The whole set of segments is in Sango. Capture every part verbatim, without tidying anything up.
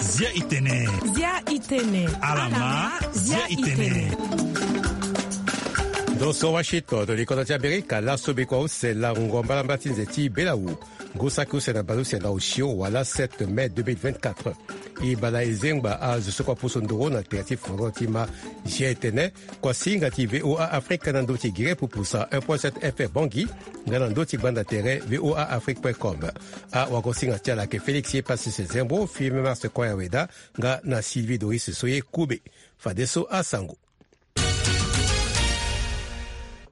Zia itene. Zia itene. Alama. Zia itene. Ndo so washington to likoto ti amerika laso bikua use lango mbalambala ti nze ti belawu. Ngu saki use na baleuse na osio wala sept mai deux mille vingt-quatre. E bala e zengba azo so kua poso ndoro na tere ti foro ti ma. Zia etene. Kua singa ti voa afrika na ndö ti gere pupusa un point sept fm bongi. Nga na ndö ti gbanda tere voa afrique point com. Awagosinga ti ala ayeke félix ye pasis zembo fime mars koya weda. Nga na sylvie doris so ye kube. Fadeso asango.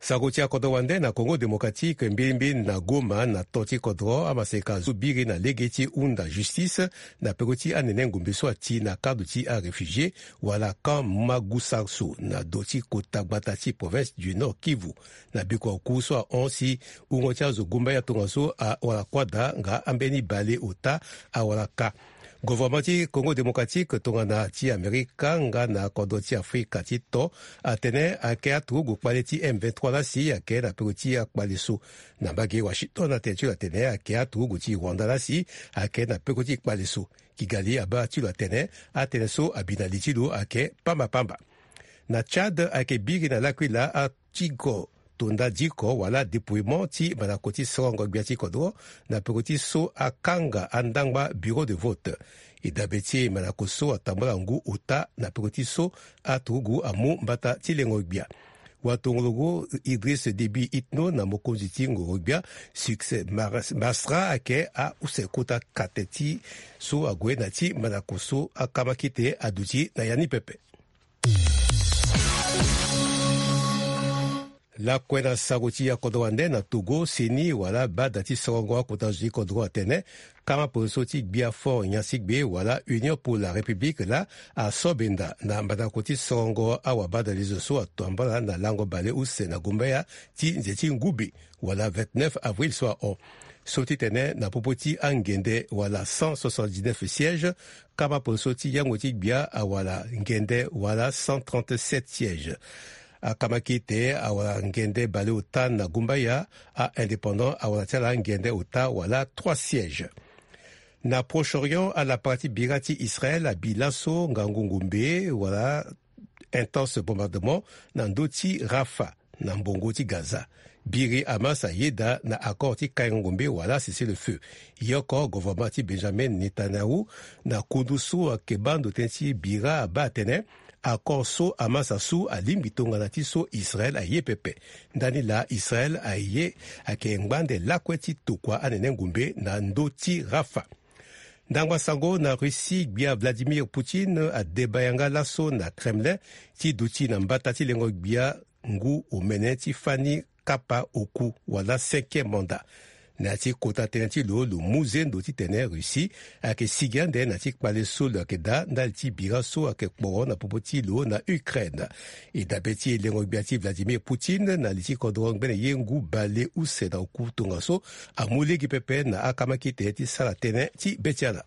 Sango ti akodro wande na congo démocratique mbilimbili na goma na to ti kodro amaseka zo biri na lege ti hunda justice. Na peko ti anene ngombe so ati na kado ti aréfugié wala camp magusaso na do ti kota gbata ti province du nord kivu. Na biko aku so ahon si wungo ti azo gumbaya tongaso awara kuâ daa nga ambeni baleota awara ka. Governement ti congo démocratique tongana ti amerika nga na kodro ti afrika ti to atene ayeke aturugu kpale ti m vingt-trois lasi ayeke na peko ti akpale so. Na mbage washington atene ti lo atene ayeke aturugu ti rwanda lasi ayeke na peko ti kpale so. Kigali abaa ti lo atene atene so abi na li ti lo ayeke pambapamba. Na tchad ayeke biri na lakuila atigo tonda diko wala dépouillement ti mandako ti sorongo gbia ti kodro na peko ti so akanga andangba bureau de vote. E dabe ti e mandako so atambula ngu ota na peko ti so aturugu amu mbata ti lengo gbia. Watongologo idris debi itno na mokonzi ti ngoro gbia succès masra ayeke ause kota kate ti so ague na ti mandako so akamakite aduti na ya ni pepe. Lakue na sango ti akodro wande na togo seni wala bada ti sorongo akota zo ti kodro atene kama poso ti gbia fort nyansigbe wala union pour la république laa aso benda na mbandako ti sorongo awabada lezo so atambala na lango bale use na gombeya ti nze ti ngube wala vingt-neuf avril so ahon. So ti tene na popo ti angende wala cent soixante-dix-neuf siège kama poso ti yango ti gbia awala ngende wala cent trente-sept siège. Akama kite awala ngende baleota na gumbaya. Aindépendant awala ti ala ngende ota wala trois siège. Na proche orient ala parti bira ti israel abi laso ngangu ngombe wala intense bombardement na ndö ti rafa na mbongo ti gaza. Biri hamas ayeda na accord ti kaingo ngombe wala cessez le feu. Yoko governement ti benjamin netanyahu na kundu so ayeke baa ndo tënë ti bira abaa atene accord so hamas asu alingbi tongana ti so israel aye pepe. Ndani laa israel aye ayeke ngbande lakue ti tokua anene ngombe na ndö ti rafa. Ndangba sango na russie gbia vladimir poutine adeba yanga laso na kremlin ti duti na mbata ti lengo gbia ngu omene ti fani kapa oku wala cinquième mandat. Na ya ti kota tënë ti lo lo mu zendo titene russie ayeke sigi ande na ya ti kpale so lo yeke daa ndali ti bira so ayeke kporo na popo ti lo na ukraine. E dabe ti elengo gbia ti vladimir poutine na li ti kodro ngbene ye ngu bale use na oku tongaso amu lege pepe na akama kete ti sara tënë ti be ti ala.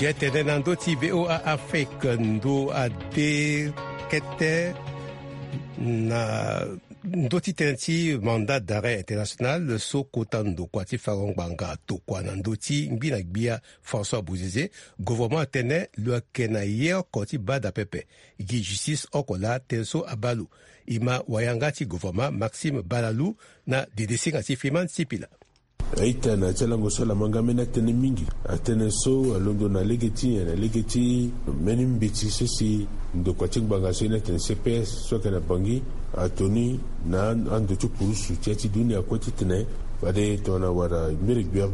Jetene na ndö ti voa afrique ndo ade kete na ndö ti tënë ti mandat d'arrêt international so kota ndokua ti farango ngbanga tokua na ndö ti ngbi na gbia françois bozeze. Governement atene lo yeke na ye oko ti bada pepe gi justice oko laa tënë so abaa lo. E ma wayanga ti governement maxime balalu na dedesinga ti fiman sipila. Aita na ti alango so ala ma nga mbeni atënë mingi. Atënë so alondo na lege ti nyen? Na lege ti mbeni mbeti so si ndokua ti ngbanga so ye ni atene cps so ayeke na bangi atoni na ando ti kurusu ti ya ti dunia kue titene fade tongana wara mbiri gbia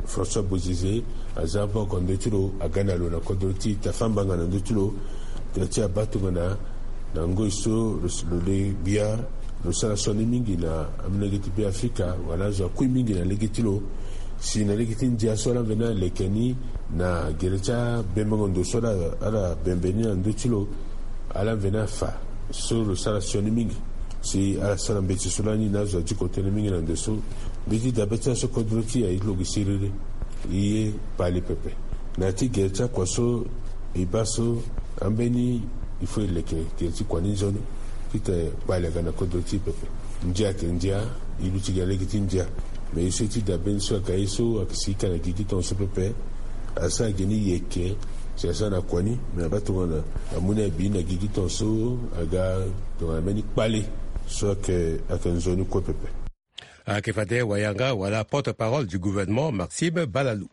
françois bozeze aza ava oko na ndö ti lo aga na lo na kodro ti tafambanga na ndö ti lo. Tena ti abaa tongana na ngoi so lo le gbia lo sara sioni mingi na amolenge ti be afrika wala azo akui mingi na lege ti lo. Si na lege ti ndia so ala mveni aleke ni na gere ti abembengo ndo so ala bembe ni na ndö ti lo ala mveni afa so lo sara sioni mingi. Si ala sara mbeti so lani na azo adiko tënë mingi na ndo so. Mbeti dabe ti ala so kodro ti e aye ti lo gi siriri. E ye pali pepe na ya ti gere ti akua so e baa so ambeni il faut e leke gere ti kua ni nzoni. Ti tene kpale aga na kodro ti pepe. Ndia ayeke ndia, e luti gi na lege ti ndia. Me ye so ti dabe ni so aga ye so ayeke si e ka na gi gi tongaso pepe. Asara gi ni yeke si asara na kua ni, me abaa tongana amu ni abi na gi gi tongaso aga tongana mbeni kpale so ayeke, ayeke nzoni kue pepe. Ayeke fade wayanga wala porte-parole du gouvernement Maxime Balalou.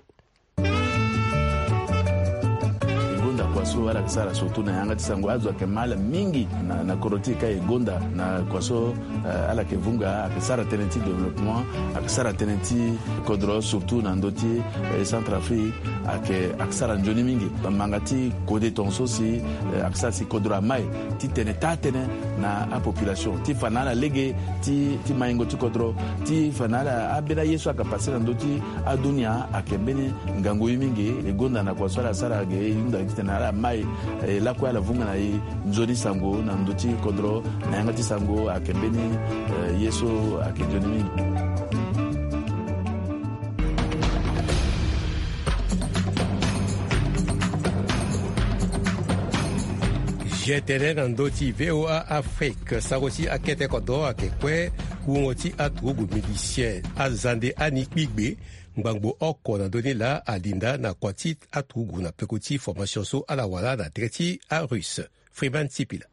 E gonda kua so ala yeke sara surtout na yanga ti sango, azo ayeke mal mingi na, na kodro ti e ka e gonda na kua so, eh, ala yeke vunga, ayeke sara tënë ti développement, ayeke sara tënë ti kodro surtout na ndö ti, eh, Centrafrique, ayeke, ayeke sara nzoni mingi. Manga ti kode tongaso si, eh, ayeke sara si kodro amai ti tene taa tënë na apopulation ti fa na ala lege ti, ti maingo ti kodro, ti fa na ala ambeni aye so ayeke pase na ndö ti adunia ayeke mbeni ngangu ye mingi. E gonda na kua so ala sara ge e hunda titene ala mai, eh, lakue ala vunga na e nzoni sango na ndö ti kodro, na yanga ti sango ayeke mbeni, eh, ye so ayeke nzoni mingi. Ge tene na ndö ti V O A Afrique, sango ti akete kodro ayeke kue wungo ti aturugu milicien azande ani kpigbe ngbangbo oko na ndö ni laa alinda na kua ti aturugu na peko ti formation so ala wara na tere ti arusse. Freeman Sipila.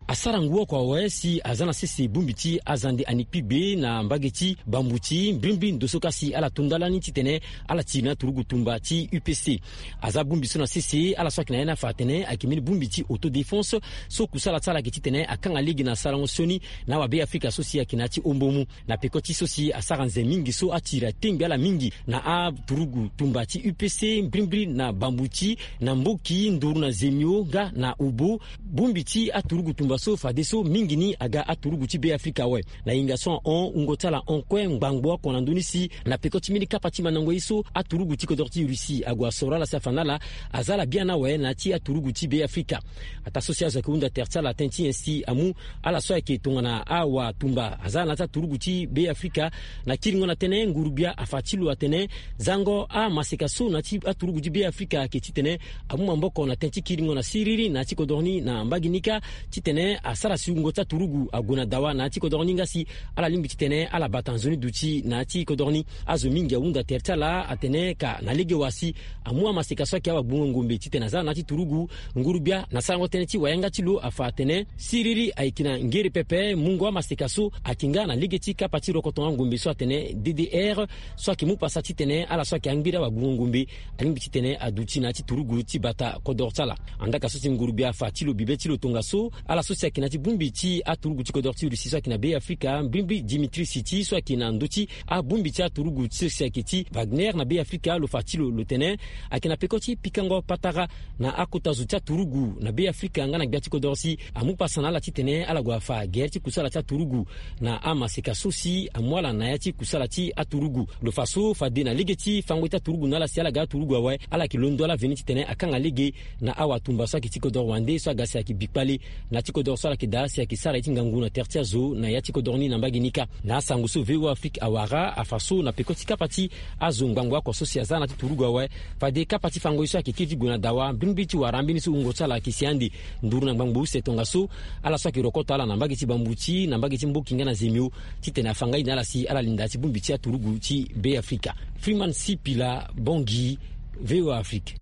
Asara ngu oko awe si aza na sese bongbi ti azande ani kpigbe na mbage ti Bambuti, mbrimbri ndo so ka si ala to ndalani titene ala tiri na aturugu tumba ti U P C. Aza bongbi so na sese ala so ayeke na ya ni afa atene ayeke mbeni bongbi ti autodéfense so kusala ti ala ayeke titene akanga lege na sarango sioni na awabe Afrika so si ayeke na ya ti ombo mu. Na peko ti so si asara nze mingi so atiri atengbi ala mingi na aturugu tumba ti U P C, mbrimbri na Bambuti, na Mboki, Nduru na Zemio nga na Obo. Bongbi ti aturugu tumba so fadeso mingi ni aga aturugu ti Be Afrika awe. Na hinga so ahon, wungo ti ala hon kue ngbangbo oko na ndö ni si na peko ti mbeni kapa ti mandango ye so aturugu ti kodro ti Russie ague asoro ala si afa na ala aza ala biani awe na ya ti aturugu ti Be Afrika. Ataa so si azo ayeke hunda tere ti ala tënë ti nyen si amu ala so ayeke tongana awatumba aza na ya ti aturugu ti Be Afrika. Na kiringo na tënë, ngurugbia afa ti lo atene zango amaseka so na ya ti aturugu ti Be Afrika ayeke titene amu maboko na tënë ti kiringo na siriri na ya ti kodro ni na mbage ni kâ, titene asara si wungo ti aturugu ague na dawa na ya ti kodro ni nga si ala lingbi titene ala bata nzoni duti na ya ti kodro ni. Azo mingi ahunda tere ti ala atene ka na lege wa si amu amaseka so ayeke awagbungo ngombe titene aza na ya ti turugu. Ngurugbia na sarango tënë ti wayanga ti lo afa atene siriri ayeke na ngere pepe, mungo amaseka so ayeke nga na lege ti kapa ti rokoto angombe so atene D D R, so ayeke mu pasa titene ala so ayeke angbiri awagbungo ngombe alingbi titene aduti na ya ti turugu ti bata kodro ti ala. Andaa ka so si ngurugbia afa ti lo bibe ti lo tongaso, ala so si ayeke na ya ti bongbi ti aturugu ti kodro ti Russie so ayeke na Be Afrika, mbrimbri Dimitri Siti so ayeke na ndö ti abongbi ti aturugu ti so si ayeke ti Wagner na Be Afrika, lo fa ti lo lo tene ayeke na peko ti pikango patara na akota zo ti aturugu na Be Afrika nga na gbia ti kodro si amu pasa na ala titene ala gue afa gere ti kusala ti aturugu na amaseka so si amu ala na ya ti kusala ti aturugu. Lo fa so fade na lege ti fango ti aturugu na ala si ala ga aturugu awe, ala yeke londo ala veni titene akanga lege na awatumba so ayeke ti kodro wande so aga si ayeke bi kpale na ya ti kodro so ala yeke daa si ayeke sara ye ti ngangu na tere ti azo na ya ti kodro ni na mbage ni kâ. Na asango so V O A Afrique awara afa so na peko ti kapa ti azo ngbangbo oko so si aza na ya ti turugu awe, fade kapa ti fango ye so ayeke kiri ti gue na dawa, mbrimbri ti wara ambeni so wungo ti ala ayeke si ande nduru na ngbangbo use tongaso, ala so ayeke rokoto ala na mbage ti Bambuti, na mbage ti Mboki nga na Zemio, titene afa ngai na ala si ala linda ti bongbi ti aturugu ti Be Afrika. Freeman Sipila, Bangui, V O A Afrique.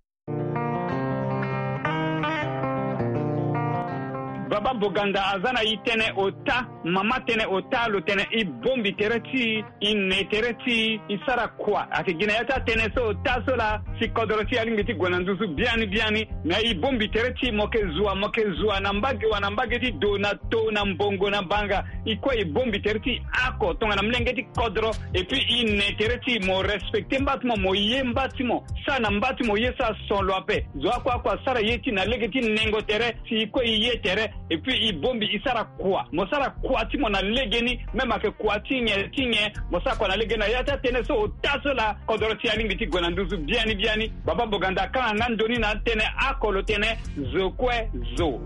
Baba Boganda aza na e tënë ota, mama tënë ota, lo tene e bongbi tere ti e, e ne tere ti e, e sara kua. Ayeke gi na ya ti atënë so ota so laa si kodro ti e alingbi ti gue na nduzu biani biani. Me e bongbi tere ti e, mo yeke zua, mo yeke zua na mbage wa, na mbage ti do, na to, na mbongo, na banga. E kue e bongbi tere ti e oko tongana molenge ti kodro. Et puis e ne tere ti e, mo respecte mba ti mo, mo ye mba ti mo, sara na mba ti mo ye so ason lo ape. Zo oko oko asara ye ti e na lege ti nengo tere, si e kue e ye tere. Et puis e bongbi e sara kua. Mo sara kua ti mo na legeni, même ayeke kua ti nyen ti nyen, mo sara kua na legeni. Na ya ti atënë so ota so laa kodro ti e alingbi ti gue na nduzu biani biani. Baba Boganda akanga nga ndoni na atënë oko, lo tene zo kue zo.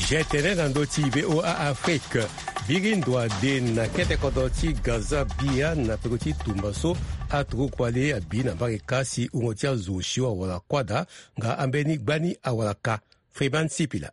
Ge tene na ndö ti V O A Afrique. Biri ndo ade na kete kodro ti Gaza Bia na peko ti tumba so aturugu kpale abi na mbage ka si wungo ti azo osio awara kuâ daa nga ambeni gbani awara ka. Freeman Sipila.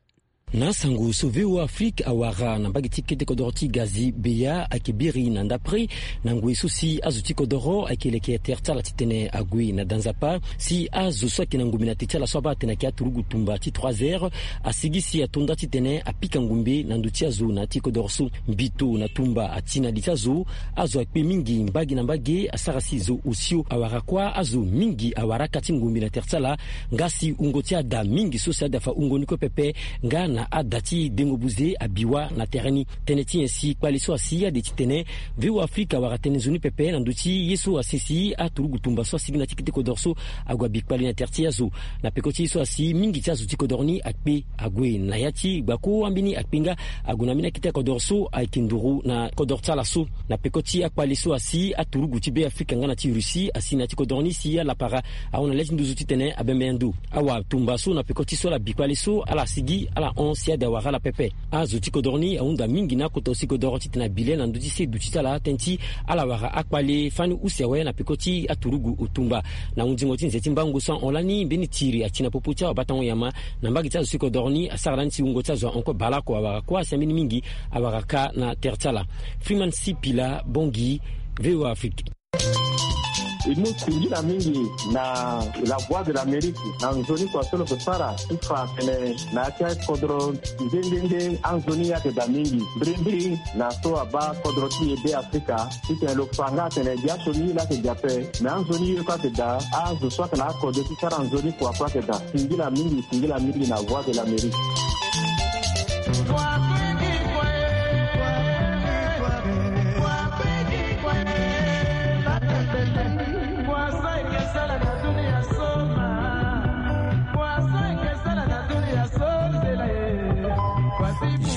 Na asango so V O A Afrique awara na mbage ti kete kodro ti Gaza Bia ayeke biri na ndapre na ngoi so si azo ti kodro ayeke leke tere ti ala titene ague na da nzapa si azo so ayeke na ngumbe na te ti ala so abaa atene ayeke aturugu tumba ti trois heures asigi si ato nda titene apika ngumbe na ndö ti azo na ya ti kodro so. Mbito na tumba ati na li ti azo. Azo akpe mingi mbage na mbage asara si zo osio awara kuâ azo mingi awara aka ti ngumbe na tere ti ala. Nga si wungo ti ada mingi so si ada fa wungo ni kue pepe nga na ada ti dengo buze abi wâ na tere ni. Tënë ti nyen si kpale so asi ade titene V O A Afrique awara tënë nzoni pepe na ndö ti ye so asi si aturugu tumba so asigi na ya ti kete kodro so ague abi kpale na tere ti azo. Na peko ti ye so asi mingi ti azo ti kodro ni akpe ague na ya ti gbako ambeni akpe nga ague na ambeni akete kodro so ayeke nduru na kodro ti ala so. Na peko ti akpale so asi aturugu ti Beafrika nga na ti Russie asi na ya ti kodro ni si alapara ahon na le ti nduzu titene abembe ndo. Awa tumba so na peko ti so ala bi kpale so ala sigi ala hon si ade awara ala pepe. Azo ti kodro ni ahunda mingi na akota osi kodro titene abi le na ndö ti se duti ti ala tënë ti ala wara akpale fani use awe na peko ti aturugu otumba. Na hundingo ti nze ti mbango so ahon lani mbeni tiri ati na popo ti awabatango nyama na mbage ti azo ti kodro ni asara lani si wungo ti azo ahon kue baleoko awara kuâ asi ambeni mingi awara ka na tere ti ala. Freeman Sipila, Bangui, V O A Afrique. E mu singila mingi na La Voix de l'Amérique na nzoni kua so lo yeke sara ti fa atene na ya ti akodro nde nde nde anzoni ayeke daa mingi mbirimbiri na so abaa kodro ti e Beafrika titene lo fa nga atene biaso ni laa ayeke daa ape. Me anzoni ye kue ayeke daa. Azo so ayeke na akode ti sara nzoni kua kue ayeke daa. Singila mingi, singila mingi na Voix de l'Amérique.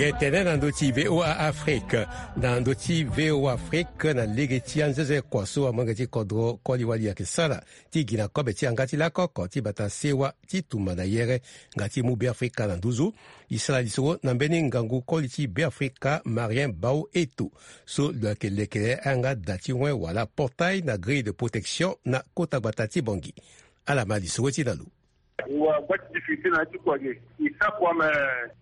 Ye tene na ndö ti V O A Afrique, na ndö ti V O A Afrique na lege ti anzenze kua so amolenge ti kodro koli wali ayeke sara ti gi na kobe ti yanga ti lakoko ti bata sewa ti tumba na yere nga ti mu Beafrika na nduzu. E sara lisoro na mbeni ngangu koli ti Beafrika Marien Bao Eto so lo yeke leke ayanga da ti wen wala portail na grille de protection na kota gbata ti Bangui. Ala ma lisoro ti na lo. Wa gba ti difficulté na ya ti kua ge. E sara kua me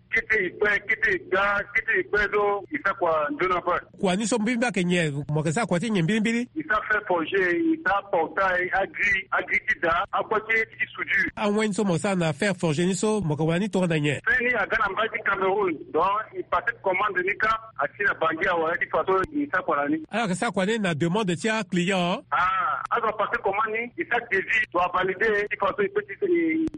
kete e kpe, kete e ga, kete e kpe so e sara kua nzoni ape. Kua ni so mbirimbiri ayeke nyen? Mo yeke sara kua ti nyen mbirimbiri? E sara fer forgé, e sara portail, agrille, agrille ti da, akua ti, ti soudure. Awen ni so mo sara na fer forgé ni so mo yeke wara ni tongana nyen? Fer ni aga na mbage ti Cameroun. Donc e passé commande ni kâ, ati na Bangui awe ti façon e sara kua na ni. Ala yeke sara kua ni na demande ti aclient? Ah, azo apassé commande ni, e sara devis, lo avalidé ti façon e peut ti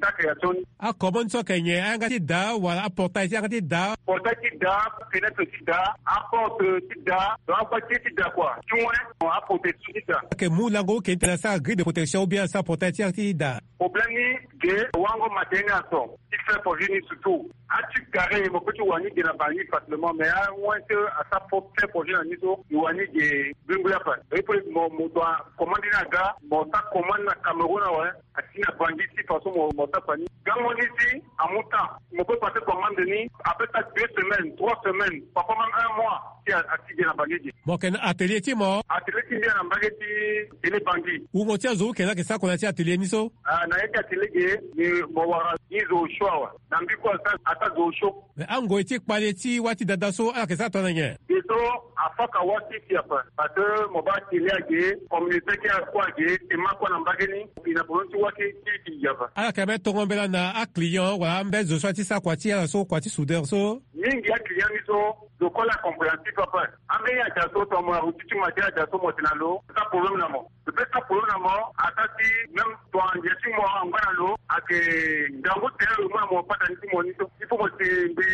sara création ni. Acommande so ayeke nyen? Ayanga ti da wala aportail ti yanga ti da? Portail ti da, fenêtre ti da, aporte ti da, donc akua ti ye ti da kua. Ti wen aprotection ti da. Ayeke mu lango oke ti tene asara grille de protection ou bien asara portail ti yanga ti da? Problème ni ge, wango matériel ni aso ti fer forgé ni surtout. Ati carré mo peut ti wara ni ge na Bangui facilement, mais awen ti asara fer forgé na ni so e wara ni ge. Bengui ape. Et puis mo, mo doit commande ni aga, mo sara commande na Cameroun awe. Ati na Bangui ti façon mo, mo sara kua ni. Gango ni si amu temps. Mo peut passer commande ni après ça deux semaines, trois semaines, parfois même un mois. Si a, ati ge na Bangui ge. Mo yeke na atelier ti mo? Atelier ti mbi ayeke na mbage ti tene Bangui. Wungo ti azo use ni ayeke sara kua na ya ti atelier ni so? Ah, na ya ti atelier ge, ni mo wara ni zo osio awe. Na mbi kue asara, asara zo osio. Mais angoi ti kpale ti wâ ti dada so ala yeke sara tongana nyen? Ge so afaka wâ ti si ape. Parce que mo baa télé age, communauté ti akua age, tema kue na mbage ni, e na problème ti wâ ti, ti, ti gi ape. Ala yeke même tongo mbela na aclient wala ambeni zo so aye ti sara kua ti ala so, kua ti soudeur so? Mingi aclient ni so, zo kue la compréhensif ape. Ambeni aja so tongana mo na routine ti mo aye ti aja so mo tene na lo, asara problème na mo. Lo peut sara problème na mo, asara si même tongana ndia ti mo angba na lo, ayeke ngangu tene lo mu na mo patani ti mo ni so. Il faut mo si mbi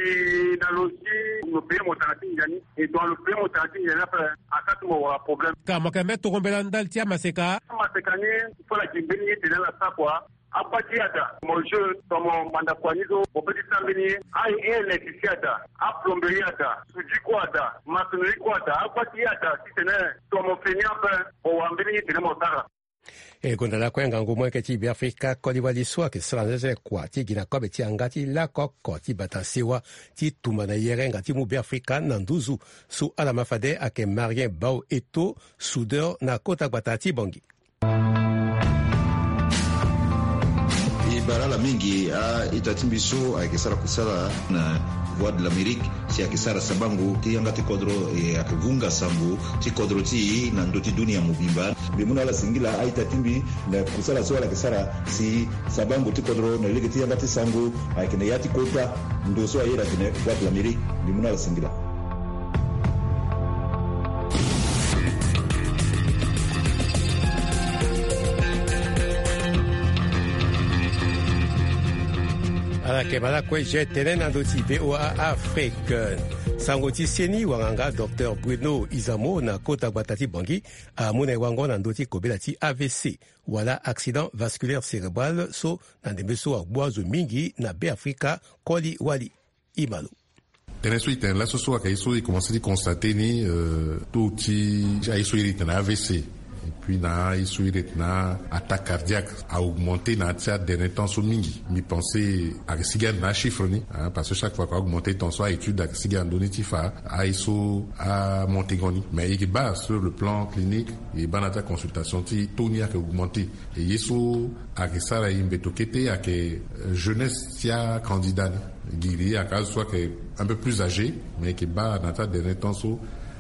na lo si mo paye mo tanga ti ndia ni. E tongana lo paye mo tanga ti ndia ni ape, asara si mo wara problème. Ka mo yeke même tongo mbela ndali ti amaseka? Amaseka ni, il faut la gi mbeni ye tene ala sara kua. Akua ti ada, mo jeune, tongana mo manda kua ni so, mo peut ti sara mbeni ye. A-électricien ada, aplomberie ada, soudure kue ada, maçonnerie kue ada, akua ti ada, titene tongana mo feni ape, mo wara mbeni ye tene mo sara. E gonda lakue ngangu molenge ti Beafrika koli wali so ayeke sara na zezele kua ti gi na kobe ti yanga ti lako oko ti bata sewa ti tumba na yere nga ti mu Beafrika na nduzu. So ala ma fade ayeke Marien Bao Eto, soudeur na kota gbata ti Bangui. E bara ala mingi a-ita ti mbi so ayeke sara kusala na Voix de l'Amérique si ayeke sara sabango ti yanga ti kodro, e ayeke vunga sango ti kodro ti e na ndö ti dunia mobimba. Mbi mu na ala singila a-ita ti mbi na kusala so ala yeke sara si sabango ti kodro na lege ti yanga ti sango ayeke na ya ti kota ndo so aye na tene Voix de l'Amérique. Mbi mu na ala singila. Ala yeke ma lakue je tene na ndö ti VOA Afrique. Sango ti seni wanganga Docteur Bruno Izamo na kota gbata ti Bangui amu na e wango na ndö ti kobela ti A V C wala accident vasculaire cérébral so na ndembe so agbu azo mingi na Beafrika koli wali. E ma lo. Tënë so e tene laso so ayeke ye so e commencé ti constaté ni, euh, taux ti aye so iri tene A V C et puis na aye so iri tene attaque cardiaque a augmenté na ya ti adernier temps so mingi. Mbi pensé ayeke sigi ande na achiffre ni, hein, parce que chaque fois que a augmenté temps so a-étude ayeke sigi ande ni ti fa aye so amonté ngo ni. Mais e yeke baa sur le plan clinique, e baa na ya ti aconsultation ti taux ni ayeke augmenté. E ye so ayeke sara e mbeto kete ayeke, euh, jeunesse ti acandidat ni. Giri ayeke azo so ayeke un peu plus âgé, mais e yeke baa na ya ti adernier temps so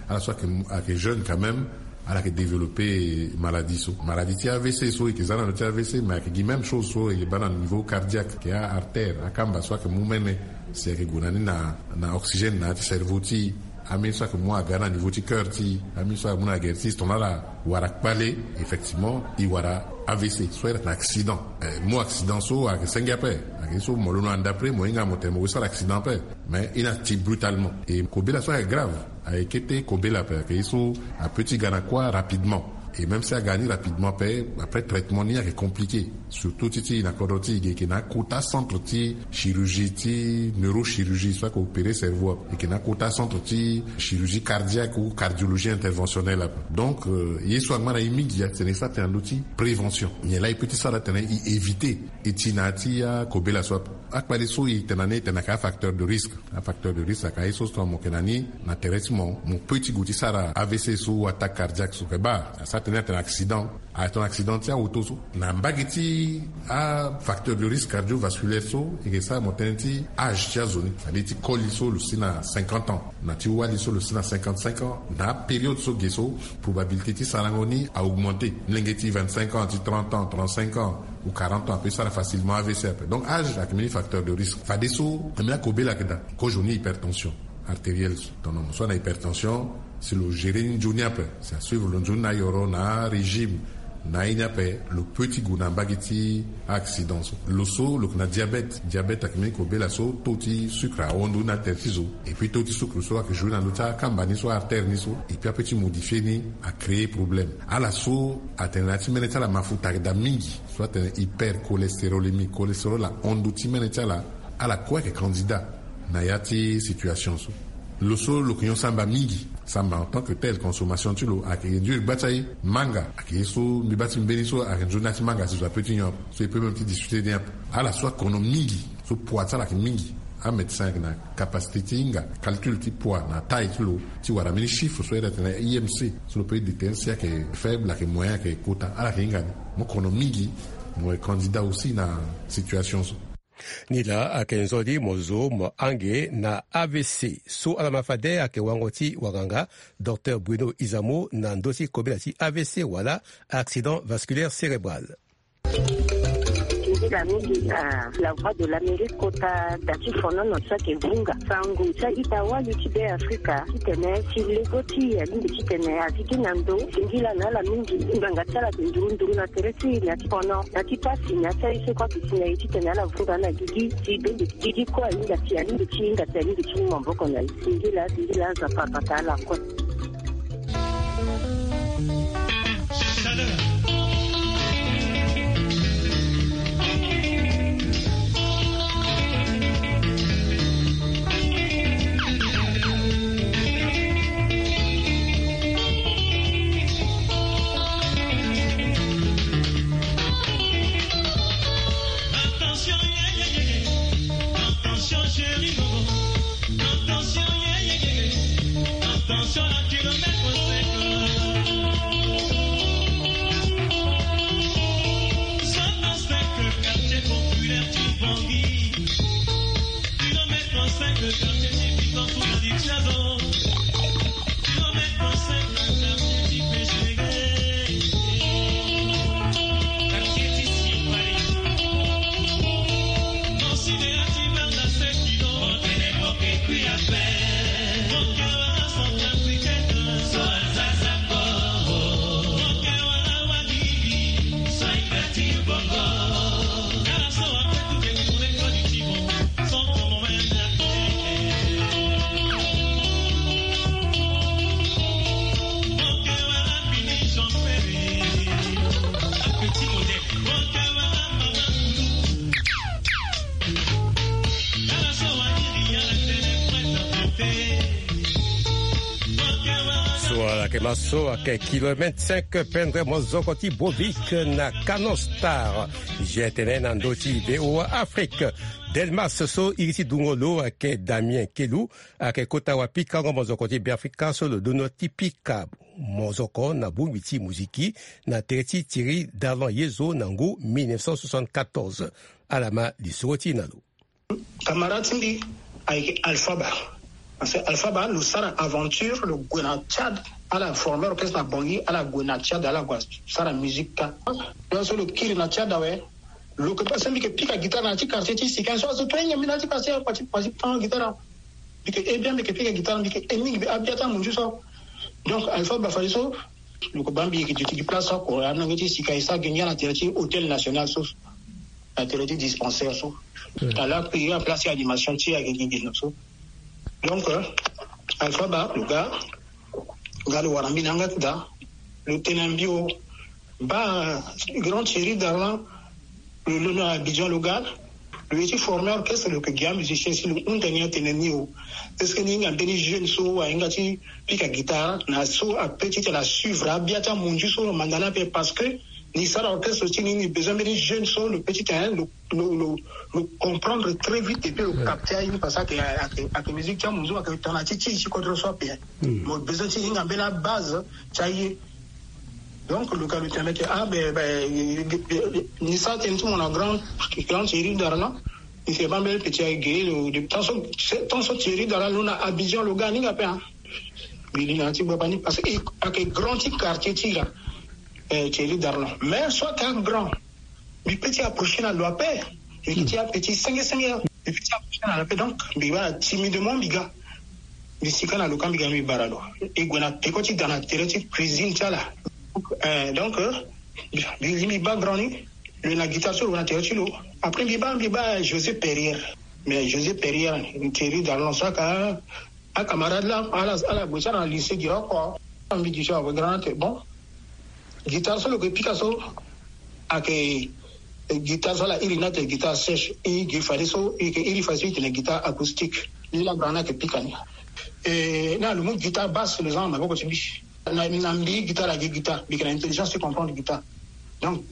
ala so ayeke, ayeke jeune quand même, ala yeke développé maladie so. Maladie ti A V C so e yeke za na ndö ti A V C, mais ayeke gi même chose so e yeke baa na niveau cardiaque, ayeke a-artère, akamba so ayeke mu mene si ayeke gue na ni na, na oxygène na ya ti cerveau ti e. Ambeni so ayeke mu aga na niveau ti cœur ti e, ambeni so ayeke mu na gere ti e, si tongana ala wara kpale, effectivement e wara A V C so ayeke na accident. Eh, mu accident so ayeke senge ape, ayeke ye so mo londo na ande après mo hinga mo tene mo gue sara accident ape. Mais e na ti brutalement. E kobela so ayeke grave, ayeke kete kobela ape, ayeke ye so apeut ti ga na kuâ rapidement. Et même si aga ni rapidement ape, après traitement ni ayeke compliqué. Surtout ti ti na kodro ti e ge, e yeke na akota centre ti chirurgie ti neurochirurgie so ayeke opéré cerveau ape. E yeke na akota centre ti chirurgie cardiaque ou cardiologie interventionnelle ape. Donc, euh, ye so angba na e mingi atene e sara tënë na ndö ti prévention. Nyen laa e peut ti sara tene e éviter e ti na ya ti akobela so ape. Akpale so e tene na ni e tene ayeke afacteur de risque. Afacteur de risque ayeke aye so so mo yeke na ni na tere ti mo, mo peut ti gue ti sara A V C so ou attaque cardiaque so. E baa asara tënë atene accident, atene accident ti aoto so. Na mbage ti afacteur de risque cardiovasculaire so e yeke sara mo tënë ti âge ti azo ni, c'est-à-dire ti koli so lo si na cinquante ans, na ti wali so lo si na cinquante-cinq ans. Na apériode so ge so probabilité ti sarango ni a augmenté. Molenge ti vingt-cinq ans, ti trente ans, trente-cinq ans ou quarante ans ape sara facilement A V C ape. Donc âge ayeke mbeni facteur de risque. Fadeso na mbeni akobela ayeke daa. Kozoni hypertension artérielle so, tongana mo so ana hypertension, si lo gérer ni nzoni ape, si asuivre lo nzoni na ayoro na arégime na aye ni ape, lo peut ti gue na mbage ti accident so. Lo so lo yeke na diabète, diabète ayeke mbeni kobela so taux ti sucre ahon ndo ni na tere ti zo. Et puis taux ti sucre so ayeke jouer na ndö ti akamba ni so, artère ni so, et puis apeut ti modifier ni, acréer problème. Ala so atene na ya ti mene ti ala mafuta ayeke daa mingi, so atene hypercholestérolémie, cholestérol ahon ndo ti mene ti ala, ala kue ayeke candidat na ya ti situation so. Lo so lo yeke nyon samba mingi, samba en tant que tel, consommation ti lo ayeke nzoni gba ti aye. Manga ayeke ye so mbi baa ti mbeni so ayeke nzoni na ya ti manga si zo apeut ti nyon ape, so e peut même ti discuter ni ape. Ala so akono mingi, so poids ti ala ayeke mingi, amédecin ayeke na capacité ti hinga calcul ti poids na taille ti lo, ti wara mbeni chiffre so iri atene I M C, so lo peut déterminer si ayeke faible, ayeke moyen, ayeke kota, ala yeke hinga ni. Mo kono mingi, mo yeke candidat aussi na situation so. Ni laa ayeke nzoni mo zo mo hange na A V C so ala ma fade ayeke wango ti wanganga Docteur Bruno Izamo na ndö ti kobela ti A V C wala accident vasculaire cérébral. Nzila mingi na La Voix de l'Amérique kota da ti fonono so ayeke vunga sango ti a-ita wali ti Beafrika titene si lego ti e alingbi titene a zi gi na ndo. Singila na ala mingi, ngbanga ti ala ayeke nduru nduru na tere ti e na ya ti fono, na ya ti pasi, na ya ti aye so kue ayeke si na e titene ala vunga na gigi. Si bende gigi kue ahinga ti, alingbi ti hinga ti, alingbi ti mu maboko na e. Singila, singila, Nzapa abata ala kue. Maso ake kilomètre cinq pendre mozoko ti Bovik na Canon Star. Jetene na ndo ti V O A Afrique. Delmas so iri ti dungo lo ake Damien Kelu ake kota wapikango mozoko ti Beafrika so lo dono ti pika mozoko na bongbi ti muziki na tere ti Thierry Darlan Yezo na ngu mille neuf cent soixante-quatorze. Ala ma lisoro ti e na lo. Camarade ti mbi ayeke Alpha Ba. Parce que Alpha Ba lo sara aventure, lo gue na Tchad, ala former orchestre na Bangui, ala gue na Tchad, ala gue sara musique ka. Donc so lo kiri na Tchad awe, lo ke, parce que mbi ke pika guitare na ya ti quartier ti Sika so, azo to ahinga mbi na ya ti quartier, pati pati tan guitare. Mbi ke, eh bien, mbi ke pika guitare, mbi ke, eh, mingi, mbi abia ti amunzu so. Donc Alpha Ba fade so, lo ke baa mbi yeke duti gi place oko, amolenge ti Sika e sara gi ngia na tere ti Hôtel National so, na tere ti dispensaire so. Hmm. Tala kpiri en place ti animation ti e ayeke gi gi na so. Donc, euh, Alpha Ba lo ga, ga lo wara mbi na yanga ti daa, lo tene na mbi o, baa, grand Thierry Darlan, lo londo na Abidjan, lo ga, lo ye ti former orchestre, lo yeke gi amusicien si lo hunda ni atene ni o. Est-ce que ni hinga mbeni jeune so ahinga ti pika guitare na so ape ti tene asuivre abia ti amunzu so lo manda ni ape, parce que ni sara orchestre ti ni, ni besoin mbeni jeune so lo pe ti tene lo, lo, lo, lo comprendre très vite et puis lo capter aye ni, parce que ayeke, ayeke, ayeke musique ti amunzu, ayeke tongana ti ti ti kodro so ape. Hmm. Mo besoin ti hinga mbeni abase ti aye. Donc lo ga lo tene mbi ayeke, ah ben, ben, ni sara tënë ti mo na grand, grand Thierry Darlan. Ni si baa mbeni petit aye ge lo, de temps so, temps so Thierry Darlan lo na Abidjan, lo ga ni nga ape, hein. Mbi li na ya ti gbagba ni parce que ayeke grand ti quartier ti e laa, eh, Thierry Darlan. Mais so ayeke grand, mbi pe ti approcher na lo ape. Mbi yeke ti ape ti senge senge. Mbi pe ti approcher na lo ape, donc mbi wara timidement mbi ga. Mbi sika na lo ka mbi ga mbi bara lo. E gue na peko ti da na tere ti cuisine ti ala. Eh, donc, euh, mbi li mbi baa grand ni, lo na guitare so lo na tere ti lo. Après mbi baa, mbi baa José Perrier. Mais José Perrier, Thierry Darlan so ayeke acamarade laa, ala, ala gue ti ala na lycée gi oko. Mbi gi so awe grand ate, bon. Guitare so lo yeke pika so ayeke, eh, guitare so ala iri ni ate guitare sèche. E gi fadeso e yeke iri fadeso e tene guitare acoustique. Ni laa grand ni ayeke pika ni. Eh, na lo mu guitare basse lo za na maboko ti mbi. Na, na mbi guitare agi guitare, mbi yeke na intelligence ti comprendre guitare. Donc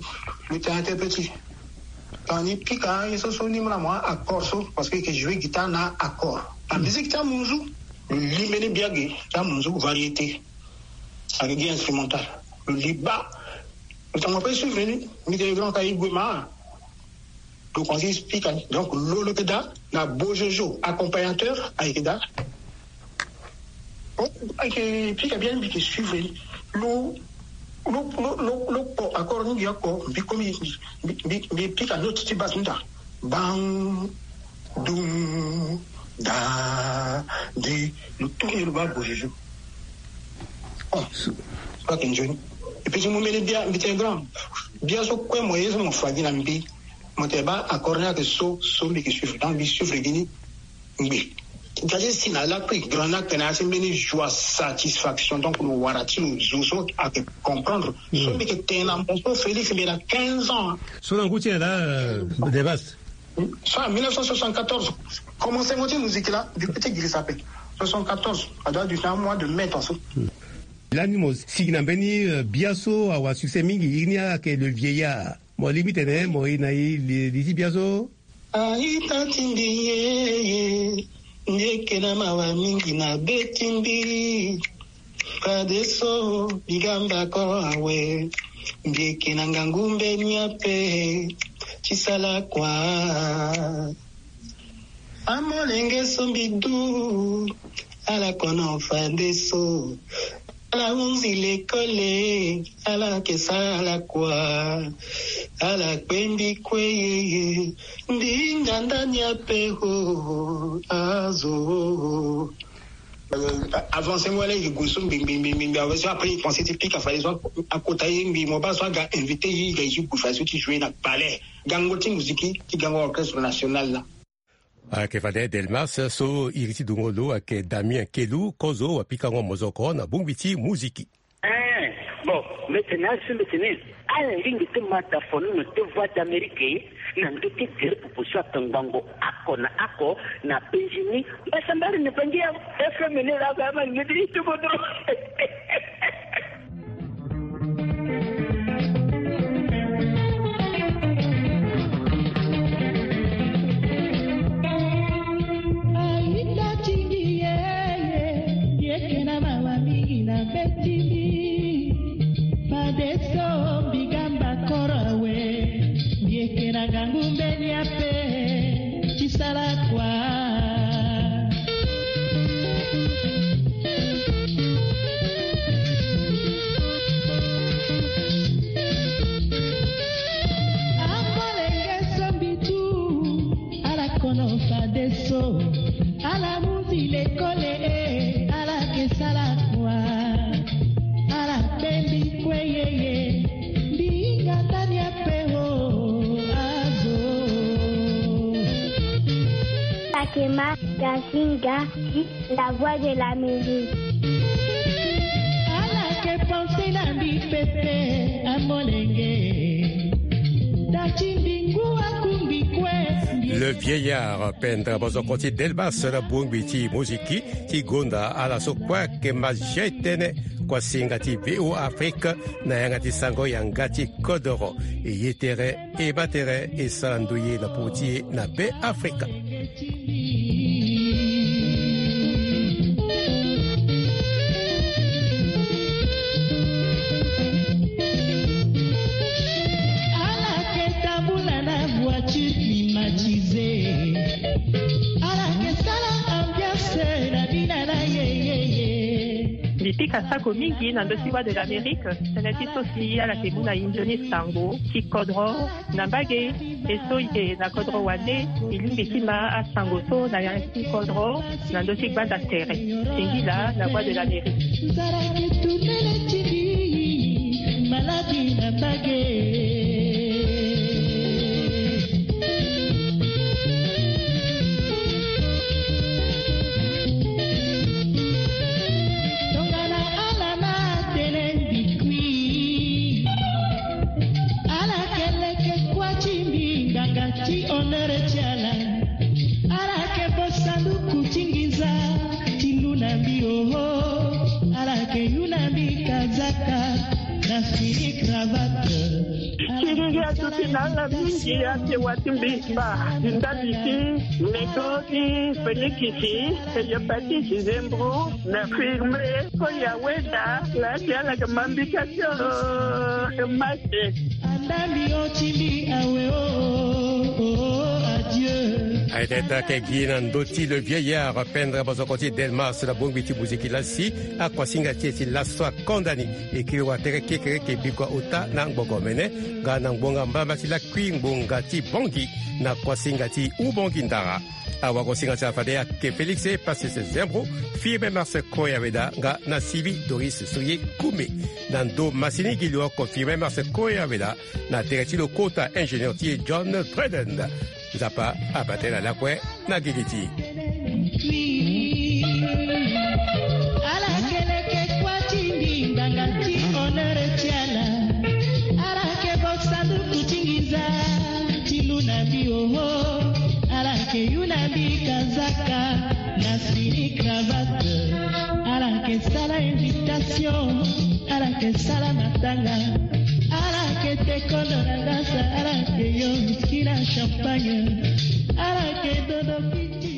lo tene ate petit. Tongana ni pika aye so, so ni mu na mo accord so, parce que e yeke jouer guitare na accord. Na musique ti amunzu, lo li mbeni biagi ti amunzu, variété. Ayeke gi instrumental. Lo li baa. Lo tongana mo pe suivre ni, mbi tene grand ka e gue ma. Lo komanse pika ni. Donc lo, lo yeke daa na Bojojo, accompagnateur, ayeke daa. Bon, ayeke pika bien, mbi yeke suivre ni. Lo, lo, lo, lo, lo kpo accord ni gi oko, mbi komi, mbi, mbi, mbi pika note ti basse ni daa. Bang, dung, da, di, lo tourner lo baa Bojojo. Oh, so ayeke nzoni. E pe ti mu mbeni bia, mbi tene grand. Bia so kue mo ye so mo fa gi na mbi. Mo tene baa accord ni ayeke so, so mbi yeke suivre. Donc mbi suivre gi ni. Ngbe. Nga ti si na lakui grand ni ayeke na ya ti mbeni joie, satisfaction. Donc lo wara ti lo zo so ayeke comprendre. So mbi yeke tene na mo so Félix mbi na quinze ans. So na ngu ti nyen laa, euh, Debas? So na mille neuf cent soixante-quatorze, commencement ti musique laa, mbi pe ti girisa ape. Soixante-quatorze, a doit durer un mois de mai tongaso. Lani mo sigi na mbeni, euh, bia so awa succès mingi, iri ni ayeke Le Vieillard. Mo lingbi tene mo iri na e li, li ti bia so. A-ita ti mbi yeye, mbi yeke na mawa mingi na be ti mbi. Fadeso mbi ga mbako awe, mbi yeke na ngangu mbeni ape ti sala kua. Amolenge so mbi du, ala kono fadeso. Ala hunzi lekole, ala ke sala kua, ala kpe mbi kue yeye, mbi hinga ndani ape ho, azo. Euh, avancé mo wala e gue so mbi, mbi, mbi, mbi, mbi, awe so après e pensé ti pika fade so akota ye mbi, mo baa so aga invité ye, aga e ti gue fade so ti jouer na palais. Gango ti musique ti gango orchestre national la. Ayeke fade Delmas so iri ti dungo lo ayeke Damien Kelu, kozo wapikango mozoko na bongbi ti muziki. Eh, bon, mbi tene asi mbi tene, ala lingbi ti ma da fono na ti Voix d'Amérique na ndö ti gere popo so ato ngbongo oko na oko na penzi ni. Mbasambara na Bangi ya F M ni la, ba ma ngedi ti kodro. Kema Gasinga, la voix de l'Amérique. Ala ke panse na mbi pepe, amolenge. Dati mbingu akumbi kue. Le vieillard, pendre bozoko ti Delmas na bongbi ti moziki ti gonda ala so kue ayeke ma zia tënë. Kuasinga ti V O Afrique na yanga ti sango yanga ti kodoro. E ye tere e baa tere e sara ndoye na popo ti e na Be Afrika. Ala ke tambula na voiture climatisée. Ala ke sala ambiance na bina na yeyeye. Mbi pika sako mingi na ndö ti Voix de l'Amérique, tënë ti so si ala ke mu na e nzoni sango ti kodro na mbage. E so e yeke na kodro wande, e lingbi ti ma asango so na yanga ti kodro na ndö ti gbanda tere. Singila na Voix de l'Amérique. Nzara ke tourne le ti mbi, maladi na mbage. Tongana ala na tene mbi kui. Ala ke leke kuâ ti mbi, nganga ti honneur ti ala. Ala ke bo sanduku ti nginza ti lu na mbi, oho. Ala ke yu na mbi kazaka na fini cravate. Ti ngingi aduti na ala mingi, ate wa ti mbi ba ti ndali ti Neko ti Felikisi, Heliopatisi Zembro, na Firme, Koya Weda, la ti ala ke ma mbi ka ti, oh, ke ma te. Andambi o ti mbi awe, oh, oh, oh, adieu. Aye tene ti ayeke gi na ndö ti le vieillard, pendre bozoko ti Delmas na bongbi ti moziki lasi, akuasinga ti e ti laso akonda ni. E kiri watere kekereke bikua ota na ngbongo mene, nga na ngbonga mbamba ti lakui ngbonga ti Bongi, na kuasinga ti Ubongi Ndara. Awagosinga ti ala fade ayeke Félix Passy Zembro, Firmin Marcel Koya Weda nga na Sylvie Doris Soye Koumé. Na ndo masini gi lo oko Firmin Marcel Koya Weda na tere ti lo kota ingénieur ti e John Dryden. Nzapa abaa tënë na lakue na gigi ti e. Ala ke leke kuâ ti mbi, nganga ti honneur ti ala. Ala ke bo sanduku ti nginza ti lu na mbi, oho. Ala ke yu na mbi kazaka na fini cravate. Ala ke sala invitation. Ala ke sala matanga. Ala ke te kondo na ngasa. Ala ke yo whisky na champagne. Ala ke dodo piti.